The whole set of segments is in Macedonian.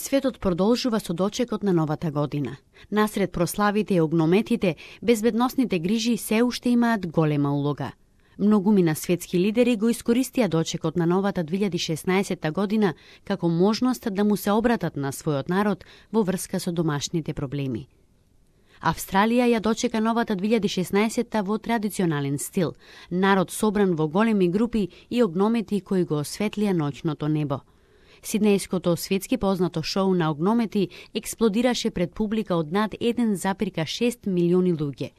Светот продолжува со дочекот на новата година. Насред прославите и огнометите, безбедносните грижи се уште имаат голема улога. Многумина светски лидери го искористија дочекот на новата 2016 година како можност да му се обратат на својот народ во врска со домашните проблеми. Австралија ја дочека новата 2016 во традиционален стил, народ собран во големи групи и огномети кои го осветлија ноќното небо. Сиднејското светски познато шоу на огномети експлодираше пред публика од над 1,6 милиони луѓе.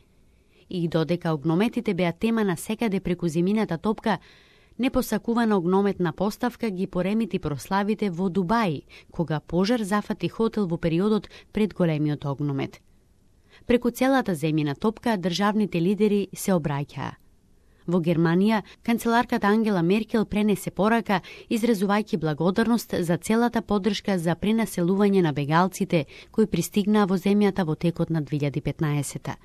И додека огнометите беа тема на секаде преку земјината топка, непосакувана огнометна поставка ги поремити прославите во Дубај, кога пожар зафати хотел во периодот пред големиот огномет. Преку целата земјина топка државните лидери се обраќаа. Во Германија, канцеларката Ангела Меркел пренесе порака, изразувајќи благодарност за целата поддршка за пренаселување на бегалците кои пристигнаа во земјата во текот на 2015-та.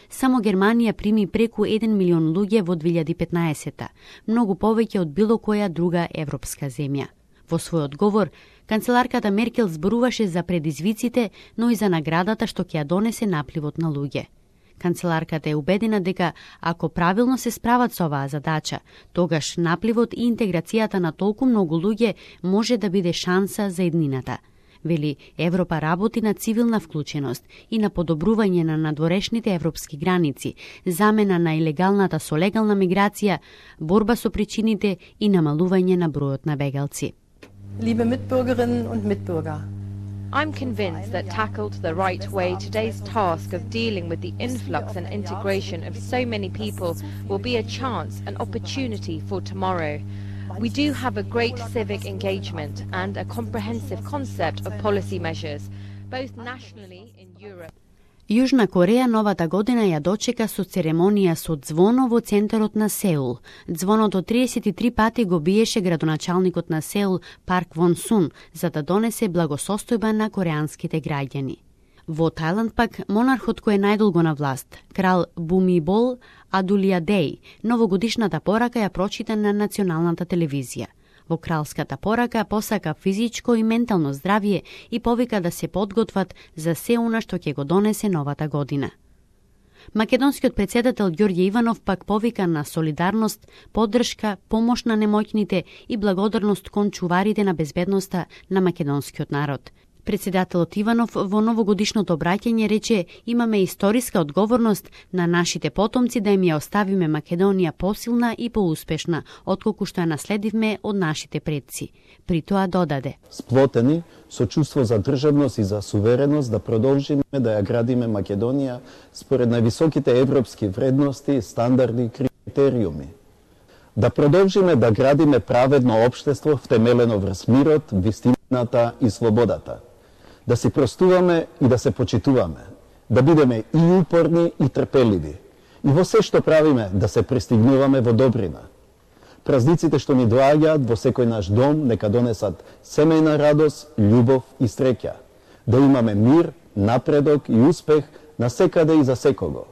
Само Германија прими преку 1 милион луѓе во 2015-та, многу повеќе од било која друга европска земја. Во свој одговор, канцеларката Меркел зборуваше за предизвиците, но и за наградата што ќе ја донесе напливот на луѓе. Канцеларката е убедена дека ако правилно се справат со оваа задача, тогаш напливот и интеграцијата на толку многу луѓе може да биде шанса за еднината. Вели, Европа работи на цивилна вклученост и на подобрување на надворешните европски граници, замена на илегалната со легална миграција, борба со причините и намалување на бројот на бегалци. Liebe Mitbürgerinnen und Mitbürger, I'm convinced that tackled the right way, today's task of dealing with the influx and integration of so many people will be a chance, an opportunity for tomorrow. We do have a great civic engagement and a comprehensive concept of policy measures, both nationally in Europe. Јужна Кореја новата година ја дочека со церемонија со ѕвоно во центарот на Сеул. Ձвоното 33 пати го биеше градоначалникот на Сеул Парк Вон Сун за да донесе благосостојба на кореанските граѓани. Во Тајланд пак монархот кој е најдолго на власт, крал Бумибол Адулиадеј, новогодишната порака ја прочита на националната телевизија. Во кралската порака посака физичко и ментално здравје и повика да се подготват за се она што ќе го донесе новата година. Македонскиот председател Ѓорѓе Иванов пак повика на солидарност, поддршка, помош на немоќните и благодарност кон чуварите на безбедноста на македонскиот народ. Председателот Иванов во новогодишното обраќање рече: имаме историска одговорност на нашите потомци да им ја оставиме Македонија посилна и поуспешна, отколку што ја наследивме од нашите предци. При тоа додаде: сплотени со чувство за државност и за сувереност да продолжиме да ја градиме Македонија според највисоките европски вредности, стандарди и критериуми. Да продолжиме да градиме праведно општество втемелено врз мирот, вистината и слободата. Да се простуваме и да се почитуваме, да бидеме и упорни и трпеливи, и во се што правиме да се пристигнуваме во добрина. Празниците што ни доаѓаат во секој наш дом нека донесат семејна радост, љубов и среќа, да имаме мир, напредок и успех насекаде и за секого.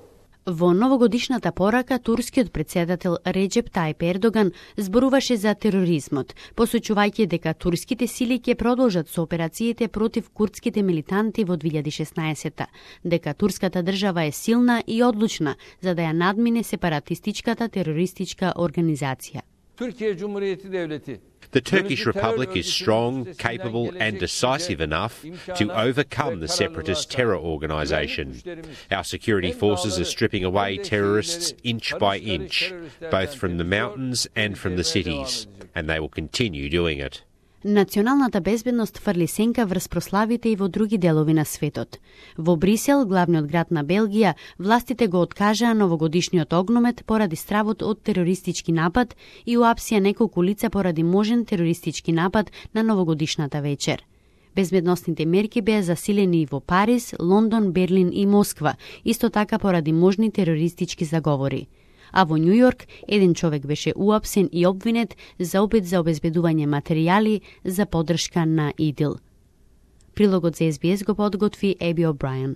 Во новогодишната порака турскиот председател Реджеп Тајип Ердоган зборуваше за тероризмот, посочувајќи дека турските сили ќе продолжат со операциите против курдските милитанти во 2016-та, дека турската држава е силна и одлучна за да ја надмине сепаратистичката терористичка организација. The Turkish Republic is strong, capable and decisive enough to overcome the separatist terror organisation. Our security forces are stripping away terrorists inch by inch, both from the mountains and from the cities, and they will continue doing it. Националната безбедност фрли сенка врз прославите и во други делови на светот. Во Брисел, главниот град на Белгија, властите го откажаа новогодишниот огномет поради стравот од терористички напад и уапсија неколку лица поради можен терористички напад на новогодишната вечер. Безбедносните мерки беа засилени и во Париз, Лондон, Берлин и Москва, исто така поради можни терористички заговори. А во Њу Јорк, еден човек беше уапсен и обвинет за опит за обезбедување материјали за поддршка на ИДИЛ. Прилогот за СБС го подготви Еби О'Брајан.